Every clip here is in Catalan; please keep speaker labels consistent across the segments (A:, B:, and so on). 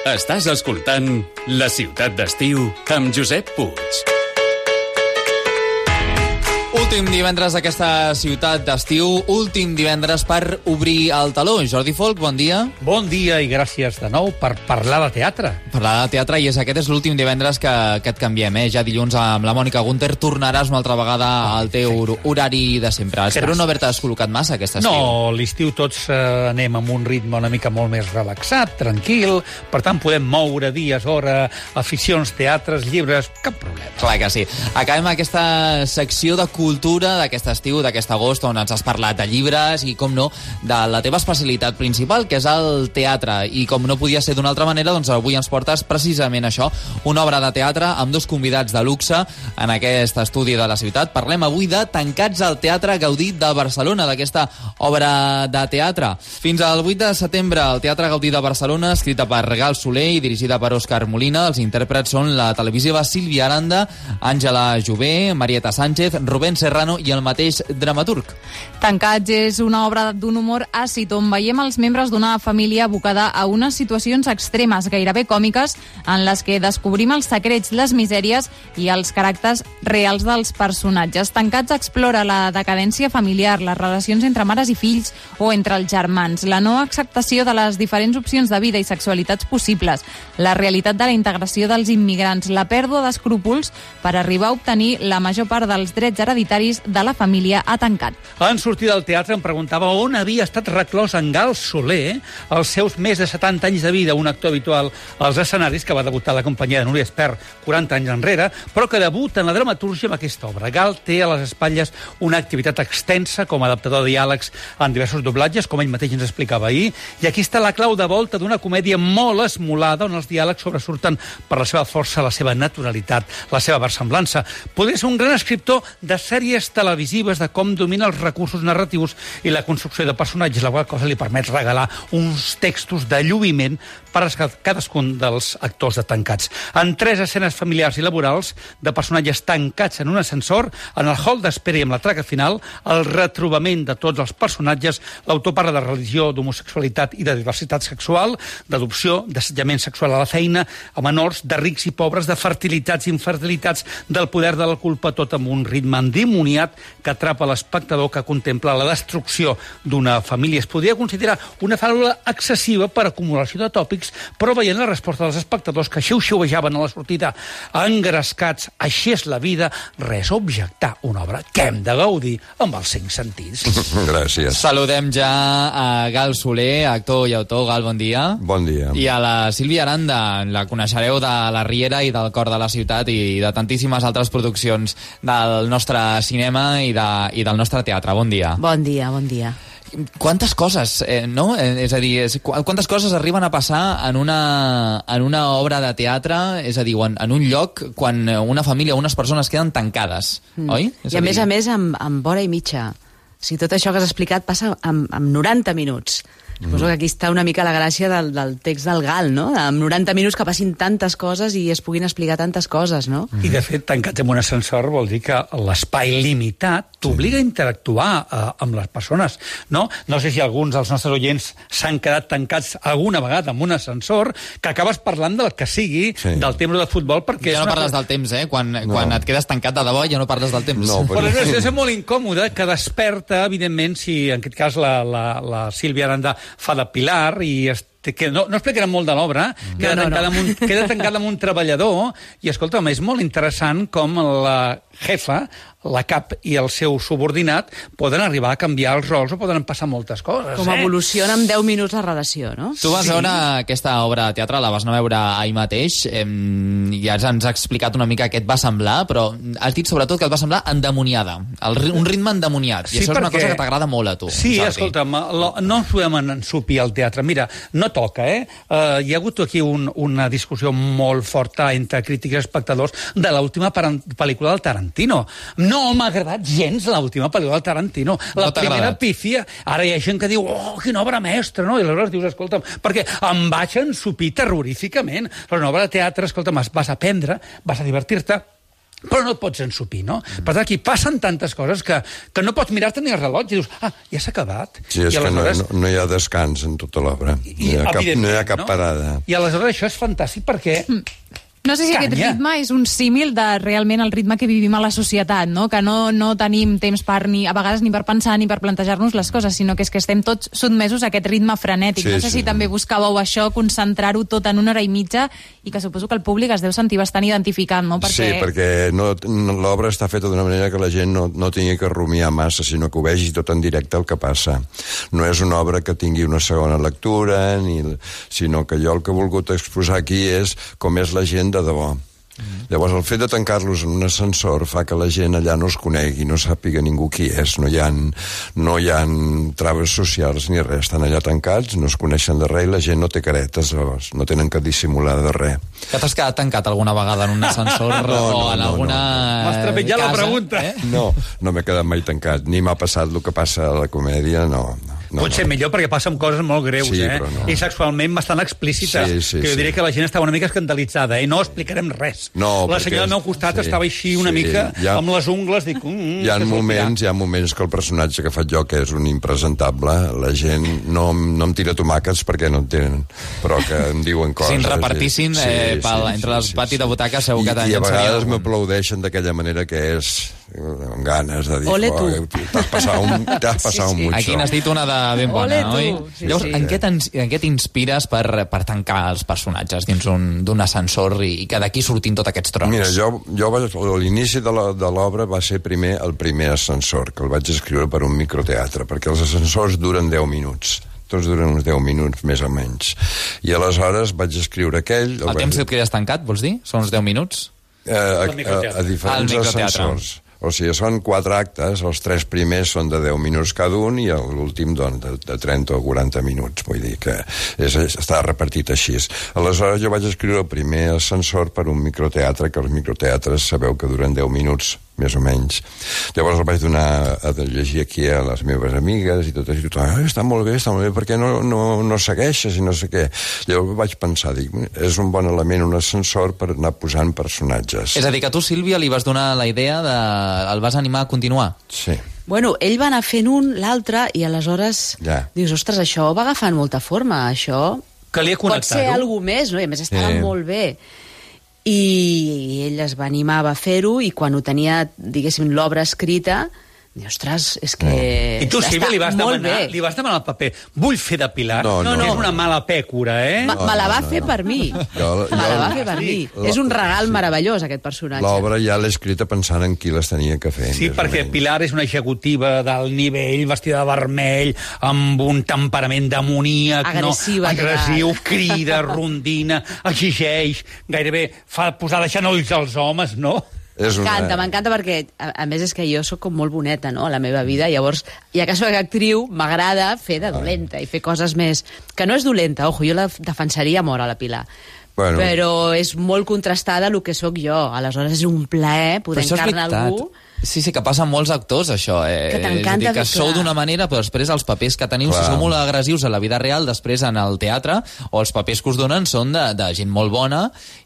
A: Estàs escoltant La Ciutat d'Estiu amb Josep Puig.
B: Últim divendres d'aquesta ciutat d'estiu, últim divendres per obrir el teló. Jordi Folk, bon dia.
C: Bon dia i gràcies de nou per parlar de teatre.
B: Parlar de teatre, i aquest és l'últim divendres que et canviem, Ja dilluns amb la Mònica Gunter tornaràs una altra vegada al teu horari de sempre. Espero no haver-te descol·locat massa aquest estiu.
C: No, l'estiu tots anem amb un ritme una mica molt més relaxat, tranquil, per tant podem moure dies, hora, aficions, teatres, llibres, cap problema.
B: Clar que sí. Acabem aquesta secció de cultura d'aquest estiu, d'aquest agost, on ens has parlat de llibres i, com no, de la teva especialitat principal, que és el teatre. I com no podia ser d'una altra manera, doncs avui ens portes precisament això, una obra de teatre amb dos convidats de luxe en aquest estudi de la ciutat. Parlem avui de Tancats al Teatre Gaudí de Barcelona, d'aquesta obra de teatre. Fins al 8 de setembre, el Teatre Gaudí de Barcelona, escrita per Gal Soler i dirigida per Òscar Molina. Els intèrprets són la televisiva Sílvia Aranda, Àngela Jové, Marieta Sánchez, Rubén Serrano i el mateix dramaturg.
D: Tancats és una obra d'un humor àcid on veiem els membres d'una família abocada a unes situacions extremes, gairebé còmiques, en les que descobrim els secrets, les misèries i els caràcters reals dels personatges. Tancats explora la decadència familiar, les relacions entre mares i fills o entre els germans, la no acceptació de les diferents opcions de vida i sexualitats possibles, la realitat de la integració dels immigrants, la pèrdua d'escrúpols per arribar a obtenir la major part dels drets hereditaris de la família a Tancat.
C: En sortir del teatre em preguntava on havia estat reclòs en Gal Soler els seus més de 70 anys de vida, un actor habitual als escenaris que va debutar a la companyia de Núria Espert 40 anys enrere, però que debuta en la dramatúrgia amb aquesta obra. Gal té a les espatlles una activitat extensa com a adaptador de diàlegs en diversos doblatges, com ell mateix ens explicava ahir, i aquí està la clau de volta d'una comèdia molt esmolada on els diàlegs sobresurten per la seva força, la seva naturalitat, la seva versemblança. Podria ser un gran escriptor de sèries televisives de com domina els recursos narratius i la construcció de personatges, la qual cosa li permet regalar uns textos de lluïment per a cadascun dels actors de Tancats. En 3 escenes familiars i laborals de personatges tancats en un ascensor, en el hall d'espera i amb la traca final, el retrobament de tots els personatges, l'autor parla de religió, d'homosexualitat i de diversitat sexual, d'adopció, d'assetjament sexual a la feina, a menors, de rics i pobres, de fertilitats i infertilitats, del poder de la culpa, tot amb un ritme endimoniat que atrapa l'espectador que contempla la destrucció d'una família. Es podria considerar una fàbula excessiva per acumulació de tòpics, però veient la resposta dels espectadors que xiu-xiuejaven a la sortida engrescats, així és la vida, res a objectar, una obra que hem de gaudir amb els 5 sentits.
E: Gràcies.
B: Saludem ja a Gal Soler, actor i autor. Gal, bon dia.
E: Bon dia.
B: I a la Sílvia Aranda, la coneixereu de La Riera i del Cor de la Ciutat i de tantíssimes altres produccions del nostre cinema i del nostre teatre. Bon dia.
F: Bon dia, bon dia.
B: Quantes coses, no? És a dir, quantes coses arriben a passar en una obra de teatre, és a dir, en un lloc, quan una família o unes persones queden tancades, oi?
F: I a més, amb hora i mitja. O sigui, tot això que has explicat passa amb 90 minuts. Suposo que aquí està una mica la gràcia del text del Gal, no? Amb 90 minuts que passin tantes coses i es puguin explicar tantes coses, no?
C: I, de fet, tancats en un ascensor vol dir que l'espai limitat t'obliga a interactuar amb les persones, no? No sé si alguns dels nostres oients s'han quedat tancats alguna vegada en un ascensor, que acabes parlant del que sigui, del temps de futbol, perquè...
B: Ja no parles del temps, Quan et quedes tancat de debò ja no parles del temps.
E: No,
C: però és una situació molt incòmoda que desperta, evidentment, si en aquest cas la Sílvia Aranda fa de pilar i que no explicarem molt de l'obra, queda tancada amb un treballador i, escolta'm, és molt interessant com la jefa, la cap i el seu subordinat poden arribar a canviar els rols o poden passar moltes coses.
F: Com evoluciona en 10 minuts la relació, no?
B: Tu vas veure aquesta obra de teatre, la vas anar a veure ahir mateix, i ja ens ha explicat una mica què et va semblar, però has dit sobretot que et va semblar endemoniada, un ritme endemoniat, i això és una cosa que t'agrada molt a tu.
C: Sí, escolta'm, no ens podem ensupir al teatre. Mira, no toca, Hi ha hagut aquí una discussió molt forta entre crítics i espectadors de l'última pel·lícula del Tarantino. No m'ha agradat gens l'última pel·lícula del Tarantino. La primera pífia. Ara hi ha gent que diu, quina obra mestra, no? I aleshores dius, escolta'm, perquè em vaig ensupir terroríficament. Però una obra de teatre, escolta'm, vas a aprendre, vas a divertir-te, però no et pots ensupir, no? Per tant, aquí passen tantes coses que no pots mirar-te ni el rellotge i dius, ja s'ha acabat.
E: Sí, és que no hi ha descans en tota l'obra. No hi ha cap parada.
C: I aleshores això és fantàstic perquè...
D: No sé si aquest ritme és un símil de realment el ritme que vivim a la societat, no? Que no tenim temps a vegades ni per pensar ni per plantejar-nos les coses, sinó que és que estem tots sotmesos a aquest ritme frenètic. No sé si també buscàveu això, concentrar-ho tot en 1 hora i mitja, i que suposo que el públic es deu sentir bastant identificat, no?
E: Sí, perquè l'obra està feta d'una manera que la gent no tingui que rumiar massa, sinó que ho vegi tot en directe el que passa. No és una obra que tingui una segona lectura, sinó que jo el que he volgut exposar aquí és com és la gent de debò. Llavors, el fet de tancar-los en un ascensor fa que la gent allà no es conegui, no sàpiga ningú qui és, no hi ha traves socials ni res, estan allà tancats, no es coneixen de res i la gent no té caretes, llavors, no tenen que dissimular de res.
B: Que t'has quedat tancat alguna vegada en un ascensor o en alguna
C: M'has trepitjat la pregunta.
E: No m'he quedat mai tancat, ni m'ha passat el que passa a la comèdia, no.
C: Potser millor perquè passen coses molt greus, i sexualment bastant explícites, que jo diria que la gent estava una mica escandalitzada, i no explicarem res. La senyora al meu costat estava així una mica amb les ungles, dic...
E: Hi ha moments que el personatge que faig jo, que és un impresentable, la gent no em tira tomàquets perquè no en tenen, però que em diuen coses.
B: Si en repartissin entre les patis de butaca segur que
E: I a vegades m'aplaudeixen d'aquella manera que és amb ganes de dir...
F: Ole tu!
E: T'has passat un mucho.
B: Aquí n'has dit una de ben bona, oi? Llavors, en què t'inspires per tancar els personatges dins d'un ascensor i que d'aquí surtin tots aquests trons?
E: Mira, jo l'inici de l'obra va ser el primer ascensor, que el vaig escriure per un microteatre, perquè els ascensors duren 10 minuts. Tots duren uns 10 minuts, més o menys. I aleshores vaig escriure aquell...
B: El temps que quedes tancat, vols dir? Són uns 10 minuts?
E: A diferents ascensors. O sigui, són 4 actes, els 3 primers són de 10 minuts cada un i l'últim de 30 o 40 minuts, vull dir que està repartit així. Aleshores jo vaig escriure el primer ascensor per un microteatre, que els microteatres sabeu que duren 10 minuts, més o menys. Llavors el vaig donar a llegir aquí a les meves amigues i tot això, està molt bé, per què no segueixes i no sé què. Llavors vaig pensar, és un bon element un ascensor per anar posant personatges.
B: És a dir, que tu, Sílvia, li vas donar la idea el vas animar a continuar?
E: Sí.
F: Bueno, ell va anar fent un, l'altre, i aleshores dius, ostres, això va agafant molta forma, això pot ser alguna més, no? I a més estava molt bé. I ell es va animar a fer-ho i quan ho tenia, diguéssim, l'obra escrita, ostres, és que
C: I tu, Sílvia, li vas demanar el paper. Vull fer de Pilar. No. És una mala pècora,
F: Me la va fer per mi. Me la va fer per mi. És un regal meravellós, aquest personatge.
E: L'obra ja l'he escrita pensant en qui les tenia que fer.
C: Sí, perquè Pilar és una executiva d'alt nivell, vestida de vermell, amb un temperament demoníac, agressiu, crida, rondina, exigeix, gairebé fa posar de genolls als homes, no?
F: M'encanta perquè, a més, és que jo sóc com molt boneta, no?, a la meva vida, llavors, ja que soc actriu, m'agrada fer de dolenta i fer coses més... Que no és dolenta, jo la defensaria molt a la Pilar, però és molt contrastada el que sóc jo, aleshores és un plaer poder encarnar algú...
B: Sí, que passa amb molts actors, això.
F: Que t'encanta,
B: que sou d'una manera, però després els papers que teniu, si sou molt agressius a la vida real, després en el teatre, o els papers que us donen són de gent molt bona,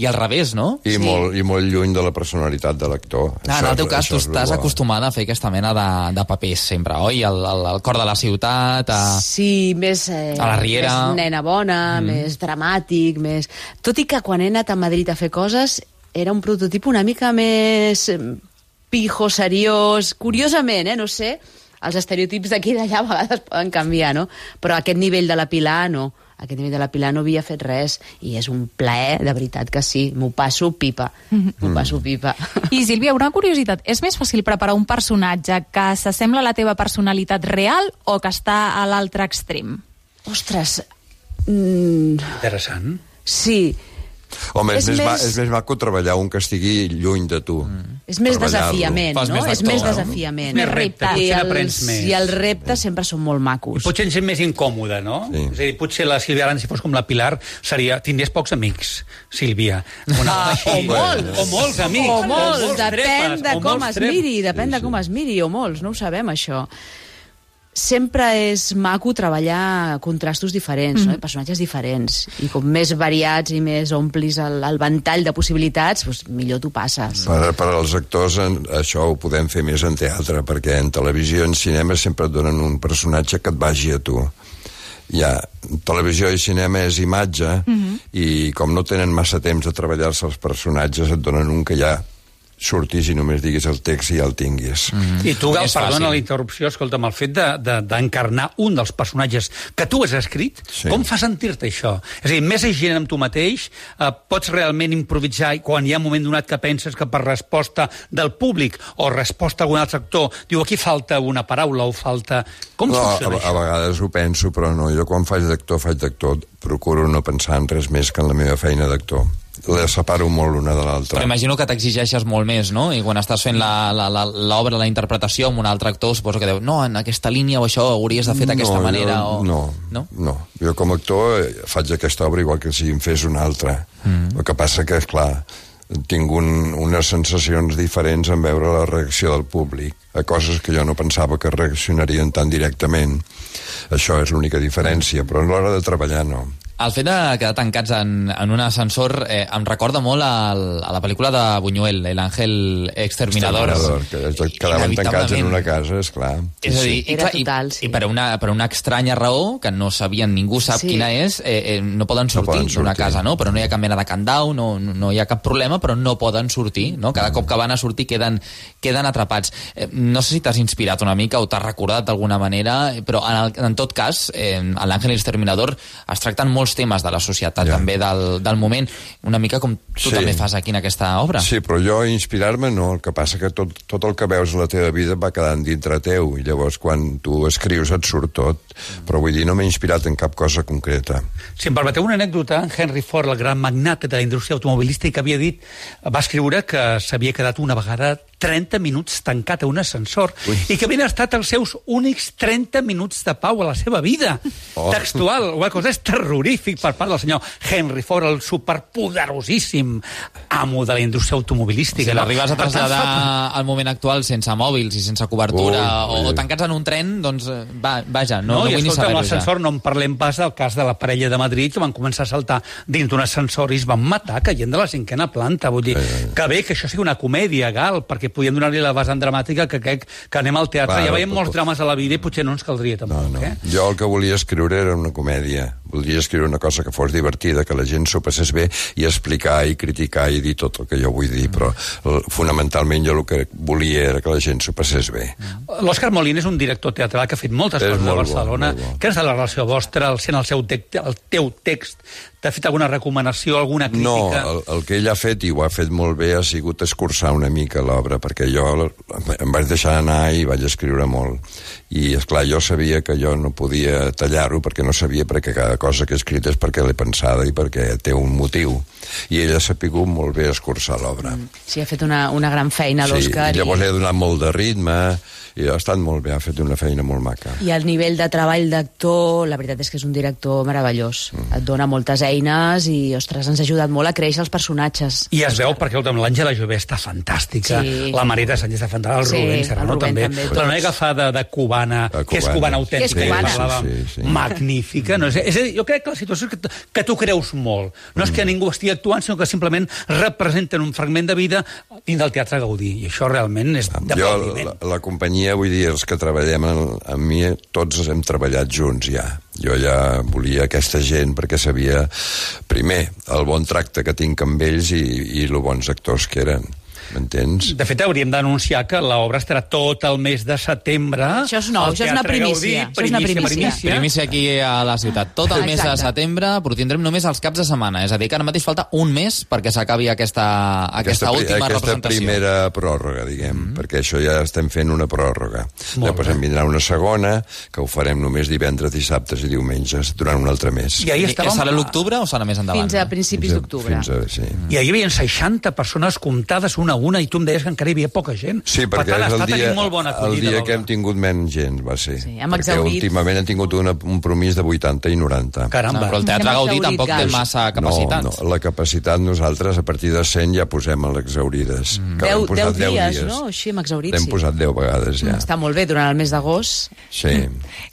B: i al revés, no?
E: I molt lluny de la personalitat de l'actor.
B: En el teu cas, tu estàs acostumada a fer aquesta mena de papers sempre, oi? El cor de la ciutat...
F: Sí, més...
B: a la Riera...
F: Més nena bona, més dramàtic, més... Tot i que quan he anat a Madrid a fer coses, era un prototip una mica més... pijo, seriós, curiosament, no sé, els estereotips d'aquí i d'allà a vegades poden canviar, no? Però aquest nivell de la Pilar, no. Aquest nivell de la Pilar no havia fet res, i és un plaer, de veritat que sí. M'ho passo pipa. M'ho passo pipa.
D: I, Sílvia, una curiositat. És més fàcil preparar un personatge que s'assembla a la teva personalitat real o que està a l'altre extrem?
F: Ostres...
C: Interessant.
F: Sí.
E: Home, és més maco treballar un que estigui lluny de tu.
F: És més desafiament, no? És més desafiament.
C: Més repte, potser n'aprens més.
F: I els reptes sempre són molt macos.
C: I potser és més incòmode, no?
E: Sí.
C: És a dir, potser la Sílvia Aran, si fos com la Pilar, tindries pocs amics, Sílvia.
F: O molts.
C: O molts amics.
F: O molts, depèn de com es miri, o molts, no ho sabem, això. sempre és maco treballar contrastos diferents, no? Personatges diferents, i com més variats i més omplis el ventall de possibilitats, doncs millor t'ho passes.
E: Per als actors això ho podem fer més en teatre, perquè en televisió i en cinema sempre et donen un personatge que et vagi a tu. Ja, televisió i cinema és imatge, i com no tenen massa temps de treballar-se els personatges, et donen un que ja surtis i només diguis el text i ja el tinguis.
C: I tu, Gal, perdona la interrupció, escolta'm, el fet d'encarnar un dels personatges que tu has escrit, com fa sentir-te això? És a dir, més gent amb tu mateix, pots realment improvisar quan hi ha un moment donat que penses que per resposta del públic o resposta a algun altre actor, diu, aquí falta una paraula o falta... Com funciona això?
E: A vegades ho penso, però no. Jo quan faig d'actor, procuro no pensar en res més que en la meva feina d'actor. La separo molt l'una de l'altra.
B: Però imagino que t'exigeixes molt més, no? I quan estàs fent l'obra, la interpretació amb un altre actor, suposo que diu, no, en aquesta línia o això hauries de fer d'aquesta manera.
E: No. Jo com a actor faig aquesta obra igual que si em fes una altra. El que passa que, esclar, tinc unes sensacions diferents en veure la reacció del públic a coses que jo no pensava que reaccionarien tan directament. Això és l'única diferència, però a l'hora de treballar no.
B: El fet de quedar tancats en un ascensor em recorda molt a la pel·lícula de Buñuel, El Ángel Exterminador.
E: Que quedaven tancats en una casa, esclar.
B: És a dir, i per una estranya raó, que no sabien, ningú sap quina és, no poden sortir d'una casa, no? Però no hi ha cap mena de candau, no hi ha cap problema, però no poden sortir, no? Cada cop que van a sortir queden atrapats. No sé si t'has inspirat una mica o t'has recordat d'alguna manera, però en tot cas, a l'Àngel Exterminador es tracten molts temes de la societat, també del moment, una mica com tu també fas aquí en aquesta obra.
E: Sí, però jo inspirar-me no, el que passa que tot el que veus a la teva vida va quedant dintre teu, i llavors quan tu escrius et surt tot, però vull dir, no m'he inspirat en cap cosa concreta.
C: Si em permeteu una anècdota, Henry Ford, el gran magnat de la indústria automobilística, havia dit, va escriure que s'havia quedat una vegada 30 minuts tancat a un ascensor i que havien estat els seus únics 30 minuts de pau a la seva vida. Textual, una cosa és terrorífic per part del senyor Henry Ford, el superpoderosíssim amo de la indústria automobilística.
B: Si l'arribes a traslladar al moment actual sense mòbils i sense cobertura o tancats en un tren, doncs vaja, no vull ni saber-ho.
C: L'ascensor, no en parlem pas del cas de la parella de Madrid que van començar a saltar dins d'un ascensor i es van matar caient de la 5ª planta. Vull dir, que bé que això sigui una comèdia, Gal, perquè podíem donar-li la vessant dramàtica que crec que anem al teatre. Ja veiem molts drames a la vida i potser no ens caldria tampoc.
E: Jo el que volia escriure era una comèdia. Voldria escriure una cosa que fos divertida, que la gent s'ho passés bé i explicar i criticar i dir tot el que jo vull dir, però fonamentalment jo el que volia era que la gent s'ho passés bé.
C: L'Òscar Molina és un director teatral que ha fet moltes coses a Barcelona. Què és de la relació vostra, sent el teu text? T'ha fet alguna recomanació, alguna crítica?
E: No, el que ell ha fet, i ho ha fet molt bé, ha sigut escurçar una mica l'obra, perquè jo em vaig deixar anar i vaig escriure molt. I, esclar, jo sabia que jo no podia tallar-ho, perquè no sabia, perquè cada cosa que he escrit és perquè l'he pensada i perquè té un motiu. I ell ha sapigut molt bé escurçar l'obra.
F: Sí, ha fet una gran feina, l'Òscar.
E: Sí, i llavors li ha donat molt de ritme, i ha estat molt bé, ha fet una feina molt maca.
F: I el nivell de treball d'actor, la veritat és que és un director meravellós. Et dona moltes eines i, ostres, ens ha ajudat molt a créixer els personatges.
C: I es veu perquè L'Àngela Jové està fantàstica, la Marita Sánchez està fantàstica, el Rubén Serrano també. La noia que fa de cubana, que és cubana autèntica, magnífica. Jo crec que la situació és que tu creus molt. No és que ningú estigui actuant, sinó que simplement representen un fragment de vida dins del Teatre Gaudí. I això realment és d'aplaudiment.
E: La companyia, vull dir, els que treballem amb mi, tots hem treballat junts ja. Jo ja volia aquesta gent perquè sabia, primer, el bon tracte que tinc amb ells i lo bons actors que eren. M'entens?
C: De fet, hauríem d'anunciar que l'obra estarà tot el mes de setembre.
F: Això és nou, això és una primícia.
B: Primícia aquí a la ciutat. Tot el mes de setembre, però tindrem només els caps de setmana. És a dir, que ara mateix falta un mes perquè s'acabi aquesta última representació.
E: Aquesta primera pròrroga, diguem, perquè això ja estem fent una pròrroga. Després en vindrà una segona, que ho farem només divendres, dissabtes i diumenges, durant un altre mes.
B: Serà l'octubre o serà més endavant?
F: Fins a principis d'octubre.
E: Sí.
C: I ahir hi havia 60 persones comptades una a una, i tu em deies que encara hi havia poca gent.
E: Sí, perquè
C: per tant,
E: és el dia que hem
C: l'obra.
E: tingut menys gent, va ser.
F: Sí, hem
E: perquè
F: exhaurit.
E: últimament hem tingut un promís de 80 i 90.
C: Caramba.
B: Però el Teatre
F: Hem
B: Gaudí
F: exhaurit
B: tampoc té
F: gas.
B: massa capacitat.
E: No, la capacitat nosaltres a partir de 100 ja posem a l'exhaurides.
F: 10 dies, no? Així hem exhaurit,
E: L'hem
F: sí.
E: posat 10 vegades ja.
F: Està molt bé, durant el mes d'agost.
E: Sí.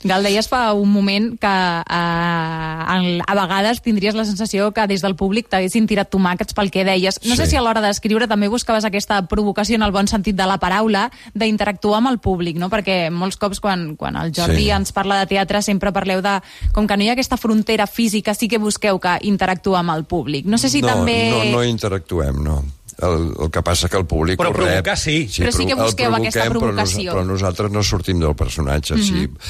D: Gal, deies fa un moment que a vegades tindries la sensació que des del públic t'haguessin tirat tomàquets pel que deies. No sé
E: Sí.
D: si a l'hora d'escriure també buscaves aquesta provocació en el bon sentit de la paraula, d'interactuar amb el públic, no? Perquè molts cops quan el Jordi ens parla de teatre sempre parleu de... Com que no hi ha aquesta frontera física, sí que busqueu que interactuar amb el públic. No sé si també...
E: No interactuem, no. El que passa que el públic
C: Però
E: ho rep.
C: provocar sí.
D: Però sí que busqueu aquesta provocació.
E: Però nosaltres no sortim del personatge.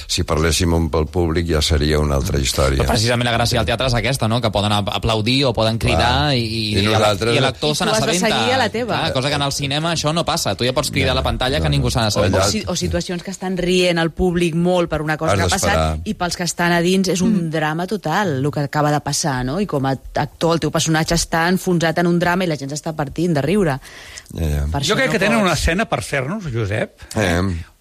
E: Si parléssim amb el públic ja seria una altra història.
B: Però precisament la gràcia del teatre és aquesta, no? Que poden aplaudir o poden cridar i l'actor se n'assabenta.
F: I tu has de seguir a la teva.
B: Cosa que en el cinema això no passa. Tu ja pots cridar a la pantalla que ningú se n'assabenta.
F: O situacions que estan rient el públic molt per una cosa que ha passat i pels que estan a dins és un drama total el que acaba de passar, no? I com a actor el teu personatge està enfonsat en un drama i la gent s'està partint de riure.
C: Jo crec que tenen una escena per fer-nos, Josep.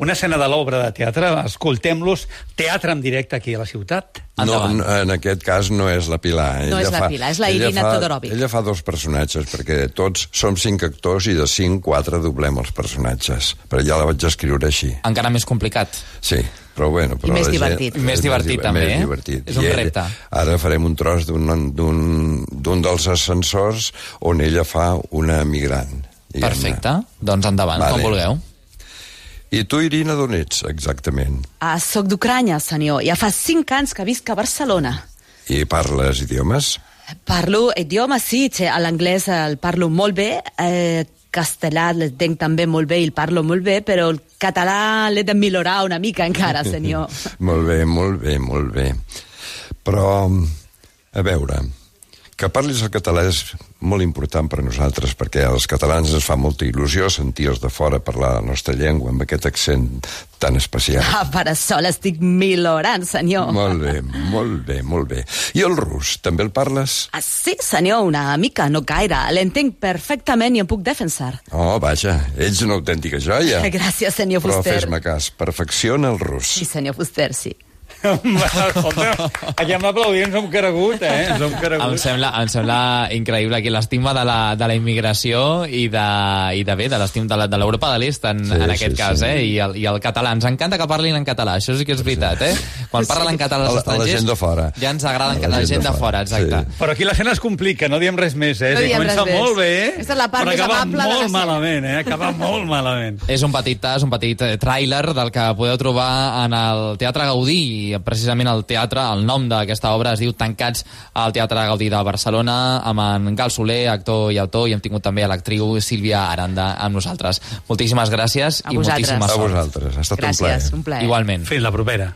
C: Una escena de l'obra de teatre. Escoltem-los, teatre en directe aquí a la ciutat.
E: No, en aquest cas no és la Pilar.
F: No és la Pilar, és la Irina Todorovic.
E: Ella fa 2 personatges, perquè tots som 5 actors i de 5, 4 doblem els personatges. Però ja la vaig escriure així.
B: Encara més complicat.
E: Sí, però bueno...
F: I més divertit.
B: Més divertit, també, eh? És un repte.
E: Ara farem un tros d'un dels ascensors on ella fa una migrant.
B: Perfecte, doncs endavant, com vulgueu.
E: I tu, Irina, d'on ets, exactament?
F: Soc d'Ucranya, senyor. Ja fa 5 anys que visc a Barcelona.
E: I parles idiomes?
F: Parlo idiomes, sí. L'anglès el parlo molt bé, castellà l'entenc també molt bé i el parlo molt bé, però el català l'he de millorar una mica encara, senyor.
E: Molt bé, molt bé, molt bé. Però, a veure, que parlis el català és molt important per a nosaltres, perquè als catalans ens fa molta il·lusió sentir els de fora parlar la nostra llengua amb aquest accent tan especial.
F: Per això l'estic millorant, senyor.
E: Molt bé, molt bé, molt bé. I el rus, també el parles?
F: Sí, senyor, una mica, no gaire. L'entenc perfectament i em puc defensar.
E: Oh, vaja, ets una autèntica joia.
F: Gràcies, senyor Fuster.
E: Però fes-me cas, perfecciona el rus.
F: Sí, senyor Fuster, sí.
C: Escolta, aquí amb l'aplaudint ens hem caregut, Ens hem caregut.
B: Em sembla increïble aquí l'estima de la immigració i de l'estima de l'Europa de l'Est en aquest cas, I el català. Ens encanta que parlin en català, això sí que és veritat, Quan parlen en català els estrangers...
E: la gent de fora.
B: Ja ens agrada la gent de fora, exacte.
C: Però aquí l'escena es complica, no diem res més,
F: No diem res
C: Comença
F: més.
C: molt bé,
F: Aquesta és la part més amable de
C: molt
F: l'escena.
C: malament, Acaba molt malament.
B: És un petit tràiler del que podeu trobar en el Teatre Gaudí, precisament el teatre, el nom d'aquesta obra es diu Tancats al Teatre Gaudí de Barcelona, amb en Gal Soler, actor i autor, i hem tingut també a l'actriu Sílvia Aranda amb nosaltres. Moltíssimes gràcies i moltíssima sort.
E: A vosaltres, ha estat un plaer.
F: Gràcies, un plaer.
B: Igualment.
C: Fins la propera.